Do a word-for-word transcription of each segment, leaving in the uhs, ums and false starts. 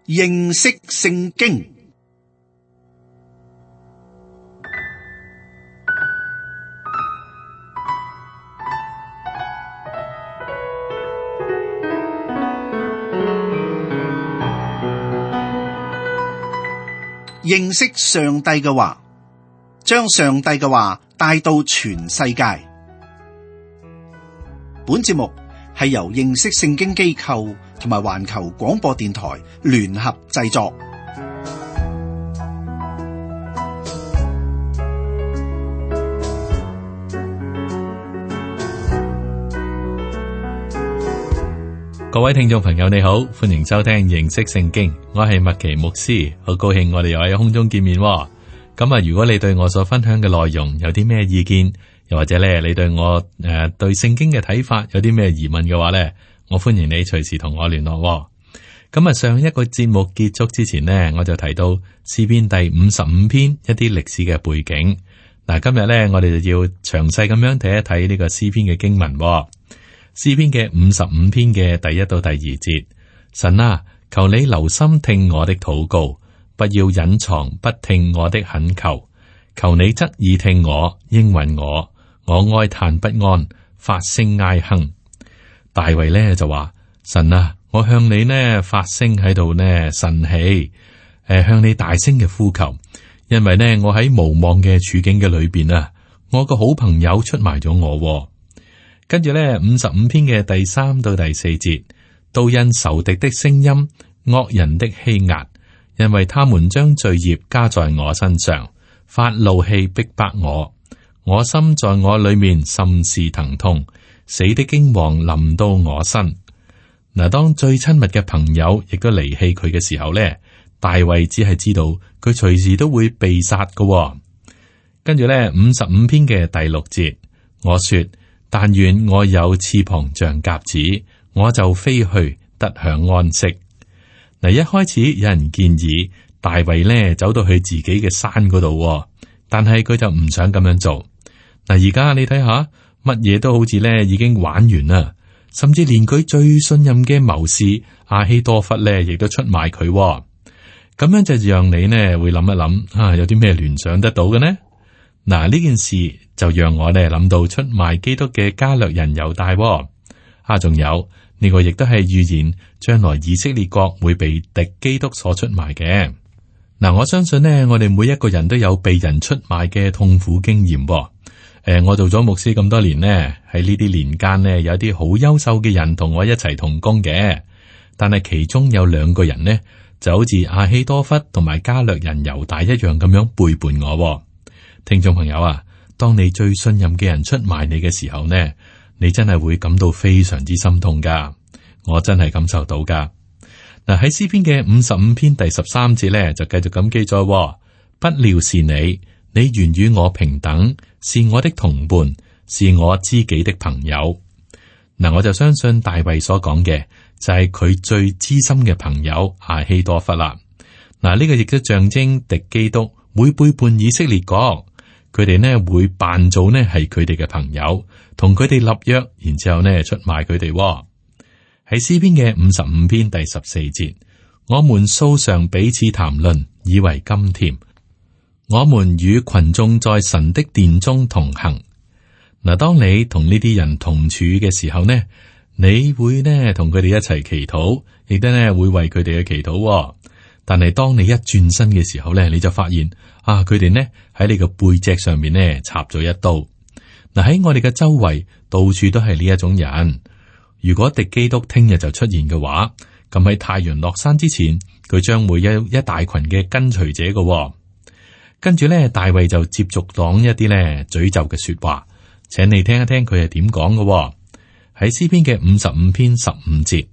認識聖經。認識上帝嘅話，將上帝嘅話帶到全世界。本節目係由認識聖經機構同埋環球廣播電台聯合製作。各位聽眾朋友你好，歡迎收聽認識聖經，我係麥奇牧師，好高興我哋又喺空中見面。咁啊，如果你對我所分享嘅內容有啲咩意見，又或者咧你對我誒、呃、對聖經嘅睇法有啲咩疑問嘅話咧，我歡迎你隨時同我聯絡。咁啊，上一個節目結束之前呢，我就提到詩篇第五十五篇一啲歷史嘅背景。嗱，今日咧我哋就要詳細咁樣睇一睇呢個詩篇嘅經文。詩篇嘅五十五篇嘅第一到第二節，神啊，求你留心聽我的禱告，不要隱藏不聽我的懇求。求你側耳聽我，應允我，我哀嘆不安，發聲哀哼。大衛呢就話：神啊，我向你呢發聲喺度呢呻氣，誒向你大聲嘅呼求，因為呢我喺無望嘅處境嘅裏邊啊，我個好朋友出賣咗我。跟住咧，五十五篇嘅第三到第四節，都因仇敵的聲音、惡人的欺壓，因為他們將罪孽加在我身上，發怒氣逼迫我，我心在我裏面甚是疼痛，死的驚惶臨到我身。嗱，當最親密嘅朋友亦都離棄佢嘅時候咧，大衛只係知道佢隨時都會被殺㗎。跟住咧，五十五篇嘅第六節，我說。但願我有翅膀像鴿子，我就飛去得享安息。嗱，一開始有人建議大衛呢走到去自己嘅山嗰度，但係佢就唔想咁樣做。嗱，而家你睇下，乜嘢都好似呢已經玩完啦，甚至連佢最信任嘅謀士亞希多弗呢亦都出賣佢。咁樣就讓你呢會諗一諗，啊，有啲咩聯想得到嘅呢？嗱，呢件事就讓我哋諗到出賣基督嘅加略人猶大，啊，仲有呢個亦都係預言將來以色列國會被敵基督所出賣嘅。嗱，我相信呢，我哋每一個人都有被人出賣嘅痛苦經驗。誒、呃，我做咗牧師咁多年呢，喺呢啲年間呢，有啲好優秀嘅人同我一齊同工嘅，但係其中有兩個人呢，就好似亞希多弗同埋加略人猶大一樣咁樣背叛我。聽眾朋友啊，當你最信任嘅人出賣你嘅時候呢，你真係會感到非常之心痛噶。我真係感受到噶。嗱，喺詩篇嘅五十五篇第十三節呢，就繼續咁記載：不料是你，你原與我平等，是我的同伴，是我知己的朋友。嗱，我就相信大衛所講嘅就係佢最知心嘅朋友亞希多弗啦。嗱，呢個亦都象徵敵基督會背叛以色列國。佢哋呢會扮做呢係佢哋嘅朋友，同佢哋立約，然之後呢出賣佢哋。喺詩篇嘅五十五篇第十四節，我們素常彼此談論，以為甘甜。我們與群眾在神的殿中同行。嗱，當你同呢啲人同處嘅時候呢，你會呢同佢哋一齊祈禱，亦都呢會為佢哋嘅祈禱。但係當你一轉身嘅時候咧，你就發現啊，佢哋呢喺你個背脊上面呢插咗一刀。嗱，喺我哋嘅周圍到處都係呢一種人。如果敵基督聽日就出現嘅話，咁喺太陽落山之前，佢將會有一大群嘅跟隨者嘅。跟住咧，大衛就接續講一啲咧詛咒嘅說話，請你聽一聽佢係點講嘅。喺詩篇嘅五十五篇十五節，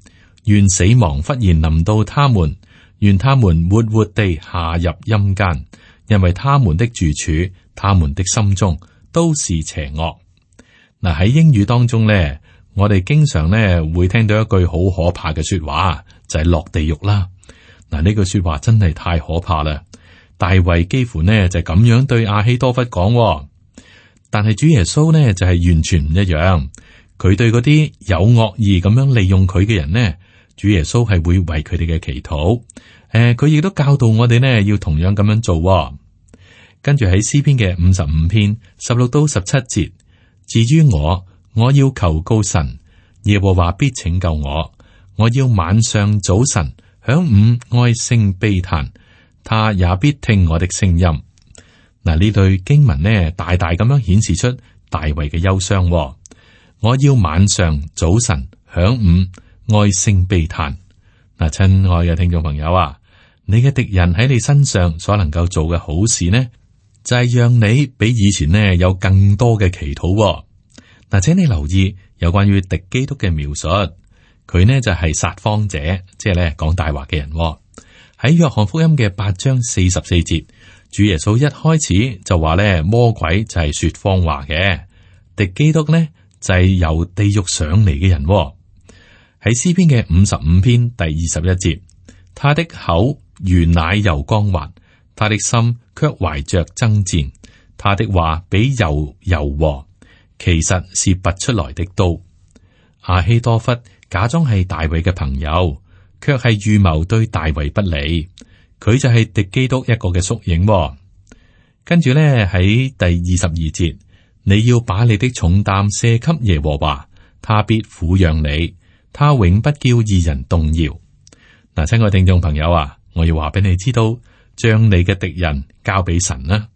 願死亡忽然臨到他們。願他們活活地下入陰間，因為他們的住處，他們的心中都是邪惡。嗱，喺英語當中咧，我哋經常咧會聽到一句好可怕嘅說話，就係落地獄啦。嗱，呢句說話真係太可怕啦。大衛幾乎呢就咁樣對亞希多弗講，但係主耶穌呢就係完全唔一樣。佢對嗰啲有惡意咁樣利用佢嘅人呢，主耶穌係會為佢哋嘅祈禱。誒、呃，佢亦都教導我哋呢，要同樣咁樣做、哦。跟住喺詩篇嘅五十五篇十六到十七節，至於我，我要求告神，耶和華必拯救我。我要晚上早晨響午哀聲悲嘆，他也必聽我的聲音。嗱，呢對經文呢，大大咁樣顯示出大衛嘅憂傷、哦。我要晚上早晨響午哀聲悲嘆。嗱，親愛嘅聽眾朋友啊，你嘅敵人喺你身上所能夠做嘅好事呢，就係、是、讓你比以前呢有更多嘅祈禱、哦。嗱，請你留意有關於敵基督嘅描述，佢呢就係撒謊者，即係咧講大話嘅人、哦。喺約翰福音嘅八章四十四節，主耶穌一開始就話咧，魔鬼就係說謊話嘅，敵基督呢就係由地獄上嚟嘅人、哦。喺詩篇嘅五十五篇第二十一節，他的口如奶油光滑，他的心卻懷着爭戰，他的話比油柔和，其實是拔出來的刀。亞希多弗假裝係大衛嘅朋友，卻係預謀對大衛不利。佢就係敵基督一個嘅縮影、哦。跟住咧喺第二十二節，你要把你的重擔卸給耶和華，他必撫養你，他永不叫義人動搖。嗱，親愛聽眾朋友啊，我要話俾你知道，將你嘅敵人交俾神啦。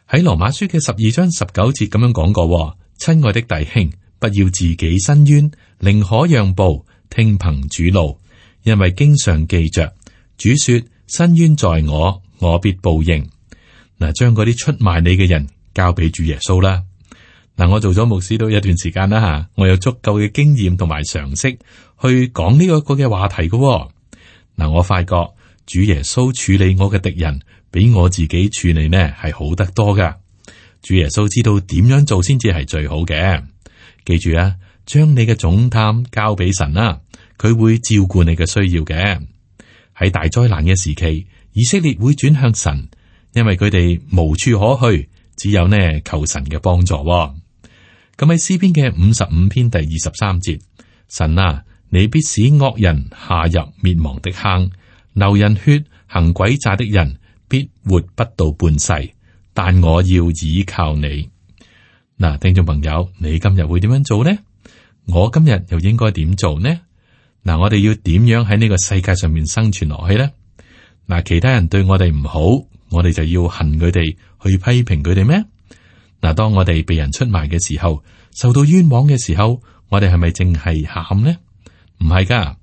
喺羅馬書嘅十二章十九節咁樣講過，親愛的弟兄，不要自己伸冤，寧可讓步，聽憑主怒，因為經常記着主說：伸冤在我，我必報應。嗱，將嗰啲出賣你嘅人交俾主耶穌啦。嗱，我做咗牧師都一段時間啦吓，我有足夠嘅經驗同埋常識去講呢個個嘅話題嘅。嗱，我發覺主耶穌處理我嘅敵人，比我自己處理呢係好得多噶。主耶穌知道點樣做先至係最好嘅。記住啊，將你嘅重擔交俾神啦，佢會照顧你嘅需要嘅。喺大災難嘅時期，以色列會轉向神，因為佢哋無處可去，只有呢求神嘅幫助。咁喺詩篇嘅五十五篇第二十三節，神啊，你必使惡人下入滅亡的坑，流人血行詭詐的人必活不到半世，但我要倚靠你。嗱，聽眾朋友，你今日會點樣做呢？我今日又應該點做呢？嗱，我哋要點樣喺呢個世界上面生存落去呢？嗱，其他人對我哋唔好，我哋就要恨佢哋，去批評佢哋咩？嗱，當我哋被人出賣嘅時候，受到冤枉嘅時候，我哋係咪淨係喊呢？唔係噶。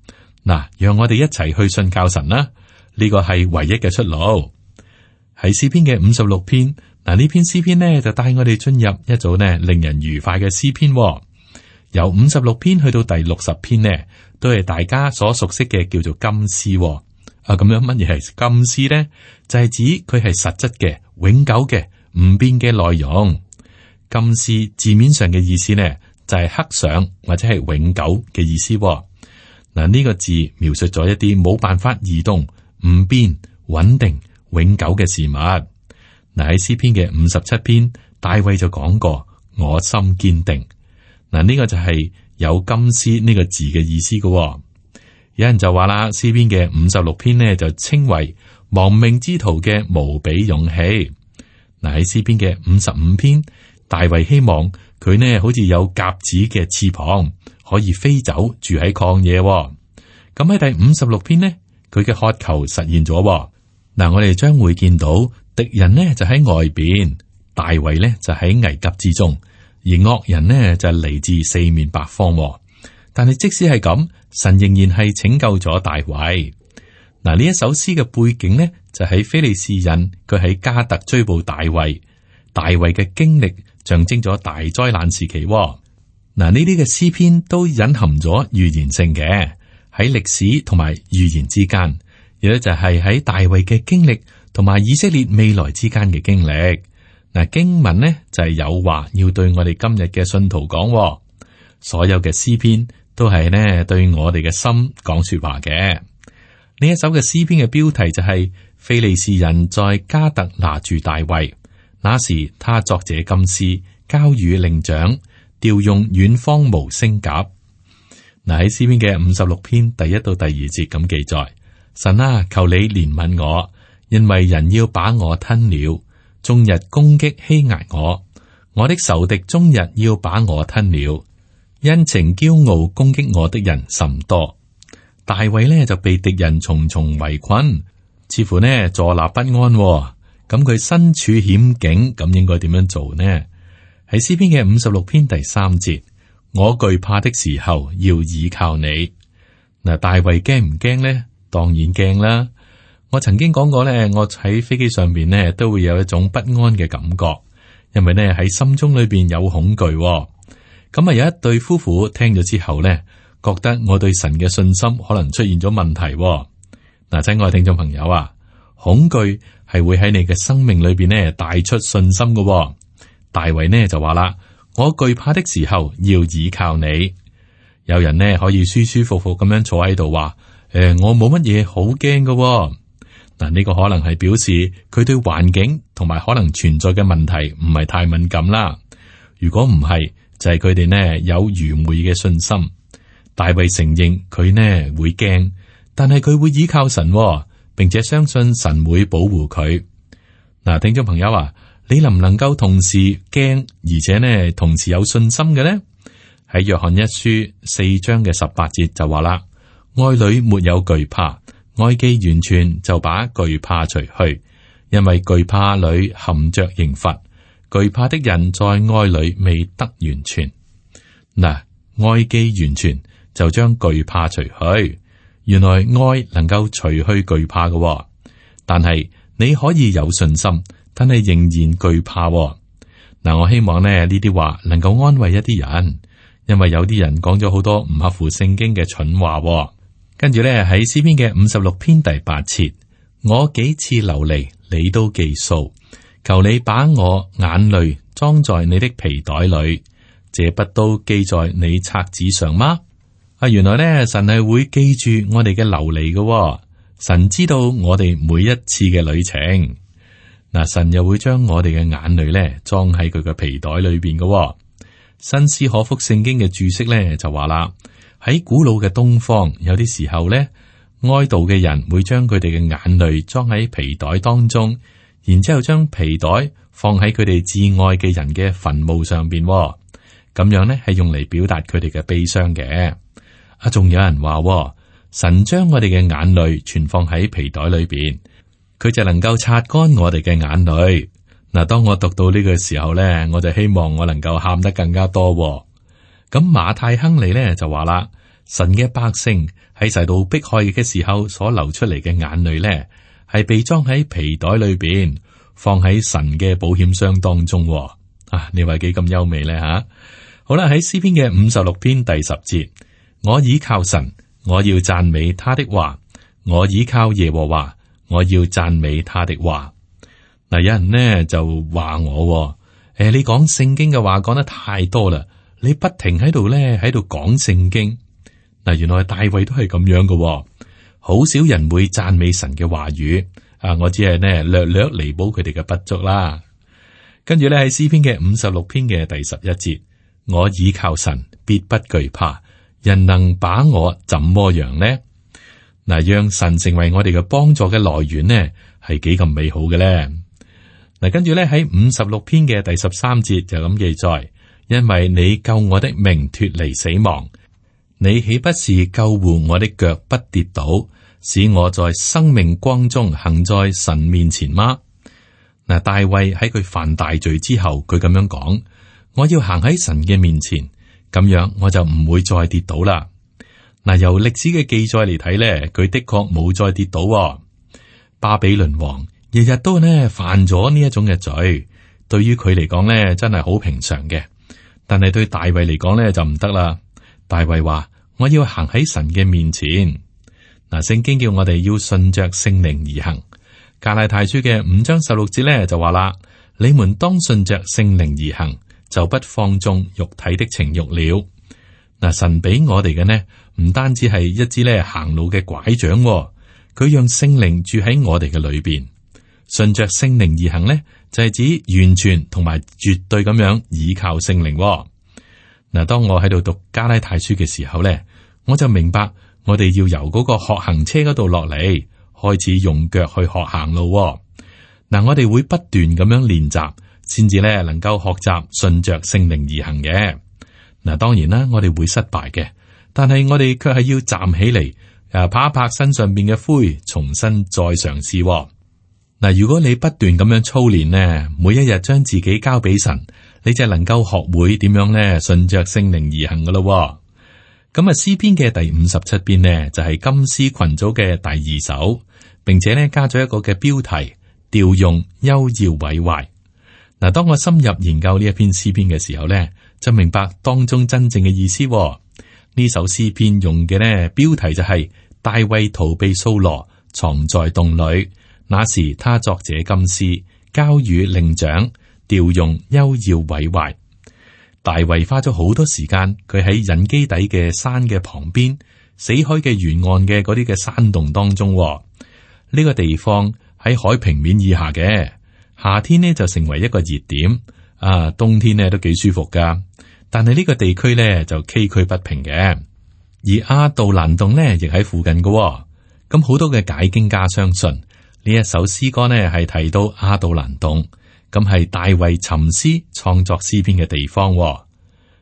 嗱，讓我哋一齊去信靠神啦，呢個係唯一嘅出路。喺詩篇嘅五十六篇，嗱，呢篇詩篇呢就帶我哋進入一組呢令人愉快嘅詩篇。由五十六篇去到第六十篇呢，都係大家所熟悉嘅叫做金詩。啊，咁樣乜嘢係金詩呢？就係、是、指佢係實質嘅、永久嘅、唔變嘅內容。金詩字面上嘅意思呢，就係、是、刻上或者係永久嘅意思。嗱，呢個字描述咗一啲冇辦法移動、唔變、穩定、永久嘅事物。嗱，喺詩篇嘅五十七篇，大衛就講過：我心堅定。嗱，呢個就係有金詩呢個字嘅意思嘅。有人就話啦，詩篇嘅五十六篇呢就稱為亡命之徒嘅無比勇氣。嗱，喺詩篇嘅五十五篇，大衛希望佢呢好似有鴿子嘅翅膀，可以飛走，住喺曠野。咁喺第五十六篇呢，佢嘅渴求實現咗。嗱，我哋將會見到敵人呢就喺外邊，大衛呢就喺危急之中，而惡人呢就嚟自四面八方。但係即使係咁，神仍然係拯救咗大衛。嗱，呢一首詩嘅背景呢，就喺非利士人，佢喺加特追捕大衛，大衛嘅經歷象徵咗大災難時期。嗱，呢啲嘅詩篇都隱含咗預言性嘅，喺歷史同埋預言之間，亦都就係喺大衛嘅經歷同埋以色列未來之間嘅經歷。嗱，經文呢就係有話要對我哋今日嘅信徒講，所有嘅詩篇都係呢對我哋嘅心講說話嘅。呢一首嘅詩篇嘅標題就係、是、非利士人在加特拿住大衛，那時他作這金詩交與伶長，調用遠方無聲鴿。嗱，喺詩篇嘅五十六篇第一到第二節咁記載：神啊，求你憐憫我，因為人要把我吞了，終日攻擊欺壓我，我的仇敵終日要把我吞了，因情驕傲攻擊我的人甚多。大衛呢就被敵人重重圍困，似乎呢坐立不安，哦。咁佢身處險境，咁應該點樣做呢？喺詩篇嘅五十六篇第三節，我懼怕的時候要倚靠你。嗱，大衛驚唔驚呢？當然驚啦。我曾經講過呢，我喺飛機上邊呢都會有一種不安嘅感覺，因為呢喺心中裏邊有恐懼，哦。咁啊，有一對夫婦聽咗之後呢，覺得我對神嘅信心可能出現咗問題，哦。嗱，親愛聽眾朋友啊，恐懼係會喺你嘅生命裏邊呢帶出信心嘅，哦。大衛呢就話啦：我懼怕的時候要倚靠你。有人呢可以舒舒服服咁樣坐喺度話：誒、呃，我冇乜嘢好驚嘅。嗱，呢個可能係表示佢對環境同埋可能存在嘅問題唔係太敏感啦。如果唔係，就係佢哋呢有愚昧嘅信心。大衛承認佢呢會驚，但係佢會倚靠神，並且相信神會保護佢。嗱，聽眾朋友啊，你能唔能夠同時驚，而且呢同時有信心嘅呢？喺約翰一書四章嘅十八節就話啦：愛裏沒有懼怕，愛既完全就把懼怕除去，因為懼怕裏含着刑罰，懼怕的人在愛裏未得完全。嗱，愛既完全就將懼怕除去。原來愛能夠除去懼怕嘅，哦，但係你可以有信心，但係仍然懼怕，哦。嗱，我希望咧呢啲話能夠安慰一啲人，因為有啲人講咗好多唔合乎聖經嘅蠢話，哦。跟住咧喺詩篇嘅五十六篇第八節，我幾次流離，你都記數，求你把我眼淚裝在你的皮袋裏，這不都記在你冊子上嗎？啊，原來咧神係會記住我哋嘅流離嘅，哦，神知道我哋每一次嘅旅程。嗱，神又會將我哋嘅眼淚咧裝喺佢嘅皮袋裏邊嘅，哦。新斯可福聖經嘅注釋咧就話啦，喺古老嘅東方，有啲時候咧哀悼嘅人會將佢哋嘅眼淚裝喺皮袋當中，然之後將皮袋放喺佢哋至愛嘅人嘅墳墓上邊，哦，咁樣咧係用嚟表達佢哋嘅悲傷嘅。啊，仲有人話，哦，神將我哋嘅眼淚存放喺皮袋裏邊，佢就能夠擦乾我哋嘅眼淚。嗱，當我讀到呢個時候咧，我就希望我能夠喊得更加多，哦。咁馬太亨利咧就話啦，神嘅百姓喺受到迫害嘅時候所流出嚟嘅眼淚咧，係被裝喺皮袋裏邊，放喺神嘅保險箱當中，哦。啊，你話幾咁優美咧吓？好啦，喺詩篇嘅五十六篇第十節。我倚靠神，我要讚美他的話；我倚靠耶和華，我要讚美他的話。嗱，有人呢就話我，誒，你講聖經嘅話講得太多啦，你不停喺度咧喺度講聖經。嗱，原來大衛都係咁樣嘅，好少人會讚美神嘅話語。啊，我只係呢略略彌補佢哋嘅不足啦。跟住咧喺詩篇嘅五十六篇嘅第十一節，我倚靠神，必不懼怕。人能把我怎麼樣呢？嗱，讓神成為我哋嘅幫助嘅來源呢，係幾咁美好嘅咧？嗱，跟住咧喺五十六篇嘅第十三節就咁記載，因為你救我的命脫離死亡，你豈不是救護我的腳不跌倒，使我在生命光中行在神面前嗎？嗱，大衛喺佢犯大罪之後，佢咁樣講：我要行喺神嘅面前。咁樣我就唔會再跌倒啦。嗱，由歷史嘅記載嚟睇咧，佢的確冇再跌倒，哦。巴比倫王日日都呢犯咗呢一種嘅罪，對於佢嚟講咧真係好平常嘅。但係對大衛嚟講咧就唔得啦。大衛話：我要行喺神嘅面前。嗱，聖經叫我哋要順着聖靈而行。加拉太書嘅五章十六節咧就話啦：你們當順着聖靈而行，就不放縱肉體的情慾了。嗱，神俾我哋嘅呢，唔單止係一支咧行路嘅拐杖，佢讓聖靈住喺我哋嘅裏邊。順着聖靈而行呢，就係指完全同埋絕對咁樣倚靠聖靈。嗱，當我喺度讀加拉太書嘅時候咧，我就明白我哋要由嗰個學行車嗰度落嚟，開始用腳去學行路。嗱，我哋會不斷咁樣練習，先至咧能夠學習順着聖靈而行嘅。嗱，當然啦，我哋會失敗嘅，但係我哋卻係要站起嚟，誒，拍一拍身上邊嘅灰，重新再嘗試。嗱，如果你不斷咁樣操練呢，每一日將自己交俾神，你就能夠學會點樣咧順着聖靈而行噶咯。咁啊，詩篇嘅第五十七篇呢，就係、是、金詩群組嘅第二首，並且咧加咗一個嘅標題，調用休要毀壞。嗱，當我深入研究呢一篇詩篇嘅時候咧，就明白當中真正嘅意思。呢首詩篇用嘅呢標題就係、是、大衛逃避掃羅，藏在洞裏。那時他作這金詩，交與令長，調用休要毀壞。大衛花咗好多時間，佢喺隱基底嘅山嘅旁邊，死海嘅沿岸嘅嗰啲嘅山洞當中。呢、這個地方喺海平面以下嘅，夏天呢就成為一個熱點，啊，冬天呢都幾舒服噶。但係呢個地區呢就崎嶇不平嘅，而亞杜蘭洞呢亦喺附近嘅。咁好多嘅解經家相信。呢一首詩歌呢，係提到亞杜蘭洞，咁係大衛沉思創作詩篇嘅地方。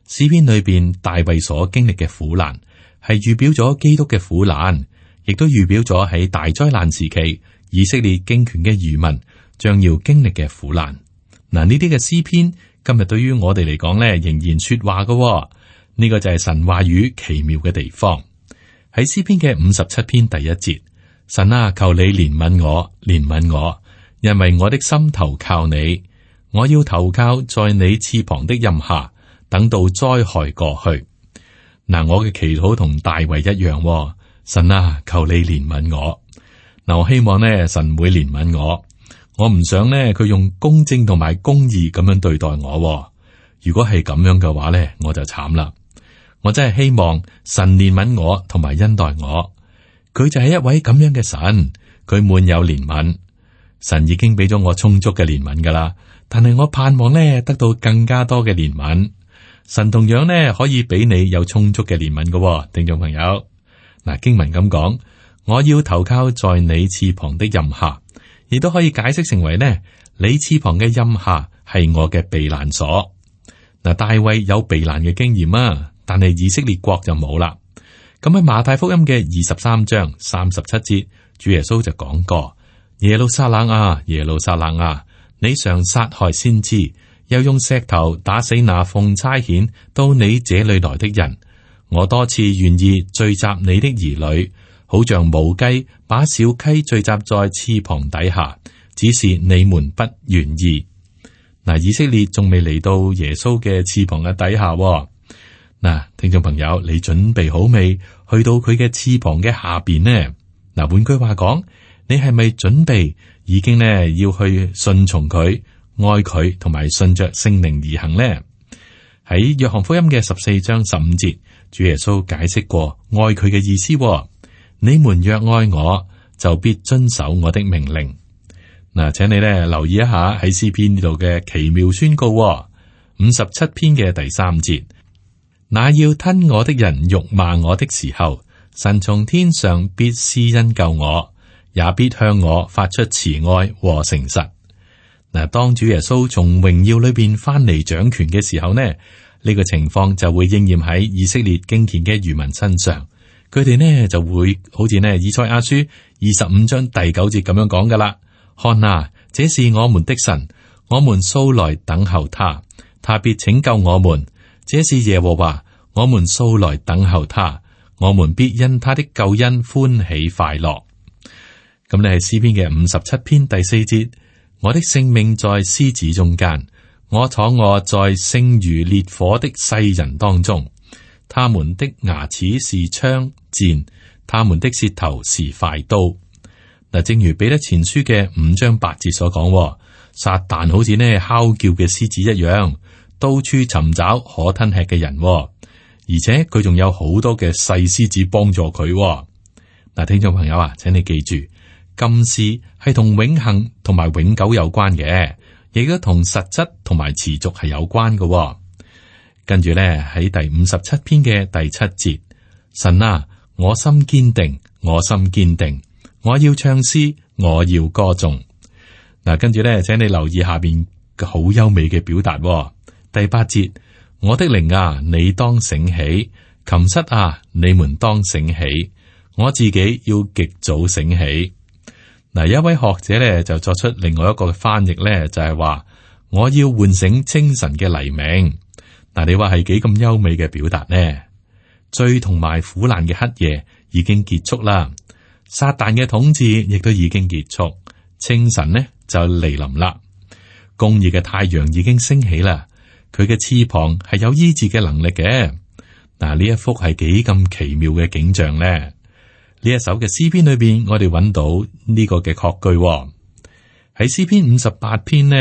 詩篇裏邊大衛所經歷嘅苦難，係預表咗基督嘅苦難，亦都預表咗喺大災難時期以色列經權嘅餘民將要經歷嘅苦難。嗱，呢啲嘅詩篇今日對於我哋嚟講呢，仍然說話嘅。呢個就係神話語奇妙嘅地方。喺詩篇嘅五十七篇第一節。神啊，求你憐憫我，憐憫我，因為我的心投靠你，我要投靠在你翅膀的蔭下，等到災害過去。嗱，我嘅祈禱同大衛一樣，神啊，求你憐憫我。嗱，我希望呢，神會憐憫我，我唔想呢，佢用公正同埋公義咁樣對待我。如果係咁樣嘅話呢，我就慘啦。我真係希望神憐憫我同埋恩待我。佢就係一位咁樣嘅神，佢滿有憐憫。神已經俾咗我充足嘅憐憫噶啦，但係我盼望呢得到更加多嘅憐憫。神同樣呢可以俾你有充足嘅憐憫嘅，聽眾朋友。嗱，經文咁講，我要投靠在你翅膀的蔭下，亦都可以解釋成為呢，你翅膀嘅蔭下係我嘅避難所。嗱，大衛有避難嘅經驗啊，但係以色列國就冇啦。咁喺馬太福音嘅二十三章三十七節，主耶穌就講過：耶路撒冷啊，耶路撒冷啊，你常殺害先知，又用石頭打死那奉差遣到你這裏來的人。我多次願意聚集你的兒女，好像母雞把小雞聚集在翅膀底下，只是你們不願意。嗱，以色列仲未嚟到耶穌嘅翅膀嘅底下喎。嗱，聽眾朋友，你準備好未？去到佢嘅翅膀嘅下邊呢？嗱，換句話講，你係咪準備已經呢要去順從佢、愛佢，同埋順着聖靈而行呢？喺約翰福音嘅十四章十五節，主耶穌解釋過愛佢嘅意思喎。你們若愛我，就必遵守我的命令。嗱，請你咧留意一下喺詩篇呢度嘅奇妙宣告喎。五十七篇嘅第三節。那要吞我的人辱罵我的時候，神從天上必施恩救我，也必向我發出慈愛和誠實。嗱，當主耶穌從榮耀裏邊翻嚟掌權嘅時候呢，呢、呢個情況就會應驗喺以色列敬虔嘅餘民身上。佢哋呢就會好似呢以賽亞書二十五章第九節咁樣講噶啦。看啊，這是我們的神，我們素來等候他，他必拯救我們。這是耶和華，我們素來等候他，我們必因他的救恩歡喜快樂。咁你係詩篇嘅五十七篇第四節，我的性命在獅子中間，我躺臥在星如烈火的世人當中，他們的牙齒是槍箭，他們的舌頭是快刀。嗱，正如彼得前書嘅五章八節所講，撒旦好似呢哮叫嘅獅子一樣，到處尋找可吞吃嘅人，而且佢仲有好多嘅細獅子幫助佢。嗱，聽眾朋友啊，請你記住，金絲係同永恆同埋永久有關嘅，亦都同實質同埋持續係有關嘅。跟住咧喺第五十七篇嘅第七節，神啊，我心堅定，我心堅定，我要唱詩，我要歌頌。嗱，跟住咧，請你留意下邊好優美嘅表達、哦。第八節，我的靈啊，你當醒起；琴瑟啊，你們當醒起。我自己要極早醒起。嗱，一位學者咧就作出另外一個翻譯咧，就係話我要喚醒清晨嘅黎明。嗱，你話係幾咁優美嘅表達呢？罪同埋苦難嘅黑夜已經結束啦，撒旦嘅統治亦都已經結束，清晨呢就嚟臨啦。公義嘅太陽已經升起啦，佢嘅翅膀係有醫治嘅能力嘅。嗱，呢一幅係幾咁奇妙嘅景象呢？呢一首嘅詩篇裏邊，我哋揾到呢個嘅確據喎。喺詩篇五十八篇呢，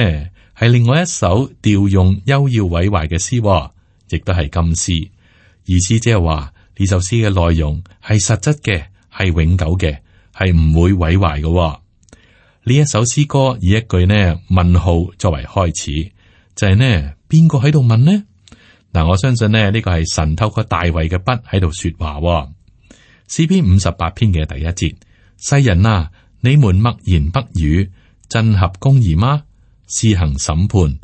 係另外一首調用幽要毀壞嘅詩喎，亦都係金詩。意思即係話呢首詩嘅內容係實質嘅，係永久嘅，係唔會毀壞嘅喎。呢一首詩歌以一句呢問號作為開始，就係呢邊個喺度問呢？嗱，我相信呢呢個係神透過大衛嘅筆喺度說話喎。詩篇五十八篇嘅第一節：世人啊，你們默言不語，真合公義嗎？施行審判，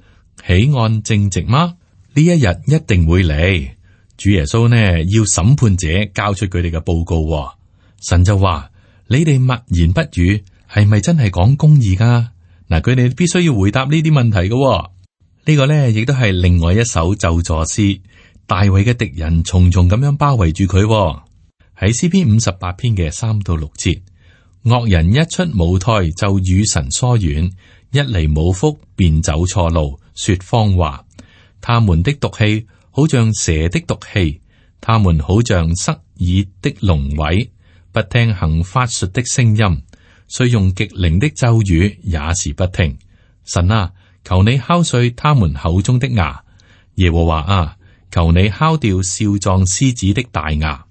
喜按正直嗎？呢一日一定會嚟。主耶穌呢要審判者交出佢哋嘅報告、哦，神就話：你哋默言不語，係咪真係講公義噶？嗱，佢哋必須要回答呢啲問題嘅、哦。呢、這個呢亦都係另外一首咒詛詩。大衛嘅敵人重重咁樣包圍住佢、哦。喺詩篇五十八篇嘅三到六節，惡人一出母胎就與神疏遠，一離母腹便走錯路，說謊話。他們的毒氣好像蛇的毒氣，他們好像塞耳的龍尾，不聽行法術的聲音，雖用極靈的咒語也是不聽。神啊，求你敲碎他們口中的牙；耶和華啊，求你敲掉少壯獅子的大牙。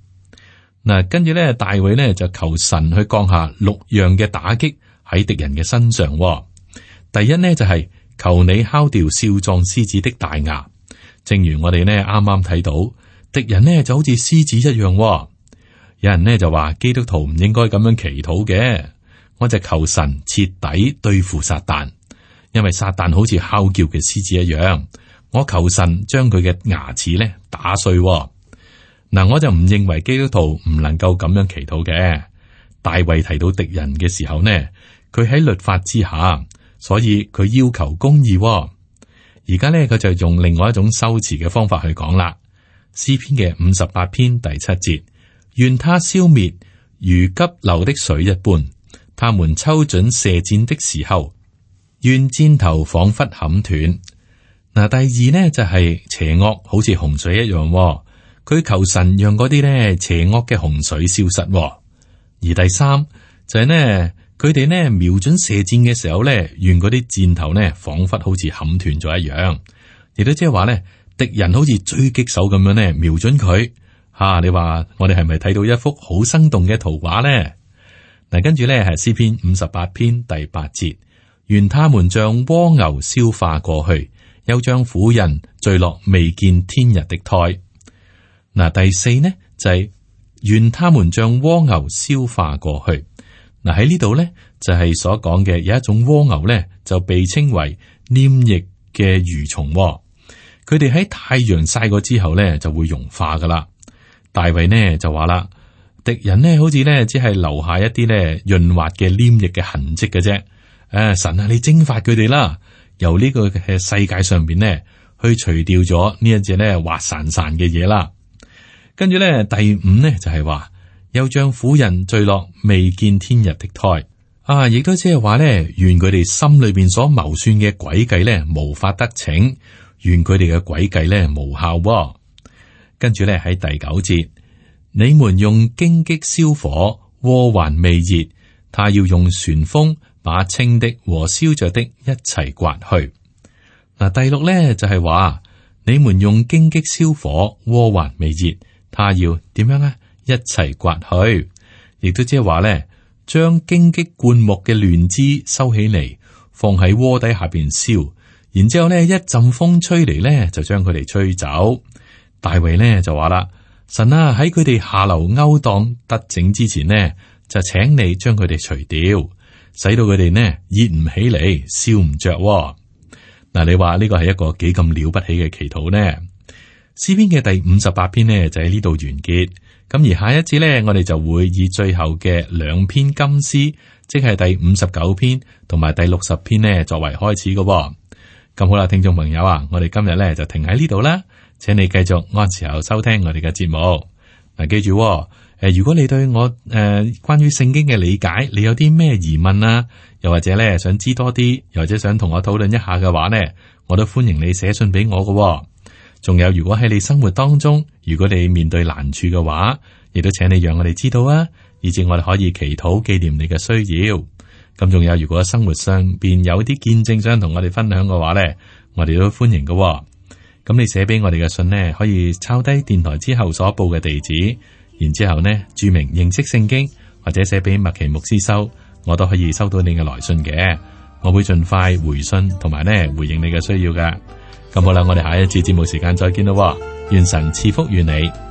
嗱，跟住咧，大衛咧就求神去降下六樣嘅打擊喺敵人嘅身上、哦。第一呢，就係、是、求你敲掉少壯獅子的大牙。正如我哋呢啱啱睇到，敵人呢就好似獅子一樣、哦。有人呢就話基督徒唔應該咁樣祈禱嘅，我就求神徹底對付撒旦，因為撒旦好似哮叫嘅獅子一樣。我求神將佢嘅牙齒咧打碎、哦。嗱，我就唔認為基督徒唔能夠咁樣祈禱嘅。大衛提到敵人嘅時候呢，佢喺律法之下，所以佢要求公義、哦。而家呢，佢就用另外一種修辭嘅方法去講啦。詩篇嘅五十八篇第七節：願他消滅如急流的水一般，他們抽準射箭的時候，願箭頭仿佛砍斷。嗱，第二呢，就係、是、邪惡好似洪水一樣、哦。佢求神讓嗰啲咧邪惡嘅洪水消失、哦，而第三就係、是、呢，佢哋呢瞄準射箭嘅時候咧，願嗰啲箭頭呢仿佛好似砍斷咗一樣，亦都即係話咧，敵人好似狙擊手咁樣呢瞄準佢吓、啊。你話我哋係咪睇到一幅好生動嘅圖畫呢？嗱，跟住咧係詩篇五十八篇第八節：願他們像蝸牛消化過去，又像婦人墜落未見天日的胎。嗱，第四呢就係、是、願他們像蝸牛消化過去。嗱，喺呢度呢就係、是、所講嘅有一種蝸牛呢就被稱為黏液嘅蠕蟲、哦，佢哋喺太陽曬過之後呢就會融化噶啦。大衛呢就話啦，敵人呢好似呢只係留下一啲呢潤滑嘅黏液嘅痕跡嘅啫。誒、啊，神啊，你蒸發佢哋啦，由呢個嘅世界上邊呢去除掉咗呢一隻呢滑潺潺嘅嘢啦。跟住咧，第五呢就係話，又像婦人墜落未見天日的胎啊，亦都即係話咧，願佢哋心裏邊所謀算嘅詭計咧，無法得逞，願佢哋嘅詭計咧無效、哦。跟住咧喺第九節，你們用荊棘燒火，鍋還未熱，他要用旋風把清的和燒着的一齊刮去。嗱，第六咧就係話，你們用荊棘燒火，鍋還未熱。他要點樣啊？一齊刮去，亦都即係話咧，將荊棘灌木嘅亂枝收起嚟，放喺鍋底下邊燒，然之後咧一陣風吹嚟咧，就將佢哋吹走。大衛咧就話啦：神啊喺佢哋下流勾當得逞之前呢，就請你將佢哋除掉，使到佢哋呢熱唔起嚟，燒唔着。嗱，你話呢個係一個幾咁了不起嘅祈禱呢？詩篇嘅第五十八篇呢就喺呢度完結。咁而下一節呢，我哋就會以最後嘅兩篇金詩，即係第五十九篇同埋第六十篇呢作為開始嘅。咁好啦，聽眾朋友啊，我哋今日呢就停喺呢度啦，請你繼續按時候收聽我哋嘅節目。嗱，記住誒，如果你對我誒、呃、關於聖經嘅理解，你有啲咩疑問啊，又或者咧想知多啲，又或者想同我討論一下嘅話呢，我都歡迎你寫信俾我嘅。仲有，如果喺你生活當中，如果你面對難處嘅話，亦都請你讓我哋知道啊，以至我哋可以祈禱紀念你嘅需要。咁仲有，如果生活上邊有啲見證想同我哋分享嘅話呢，我哋都歡迎嘅。咁你寫俾我哋嘅信呢，可以抄低電台之後所報嘅地址，然之後呢注明認識聖經，或者寫俾麥奇牧師收，我都可以收到你嘅來信嘅。我會盡快回信同埋呢回應你嘅需要噶。咁好啦，我哋下一次節目時間再見咯。願神賜福於你。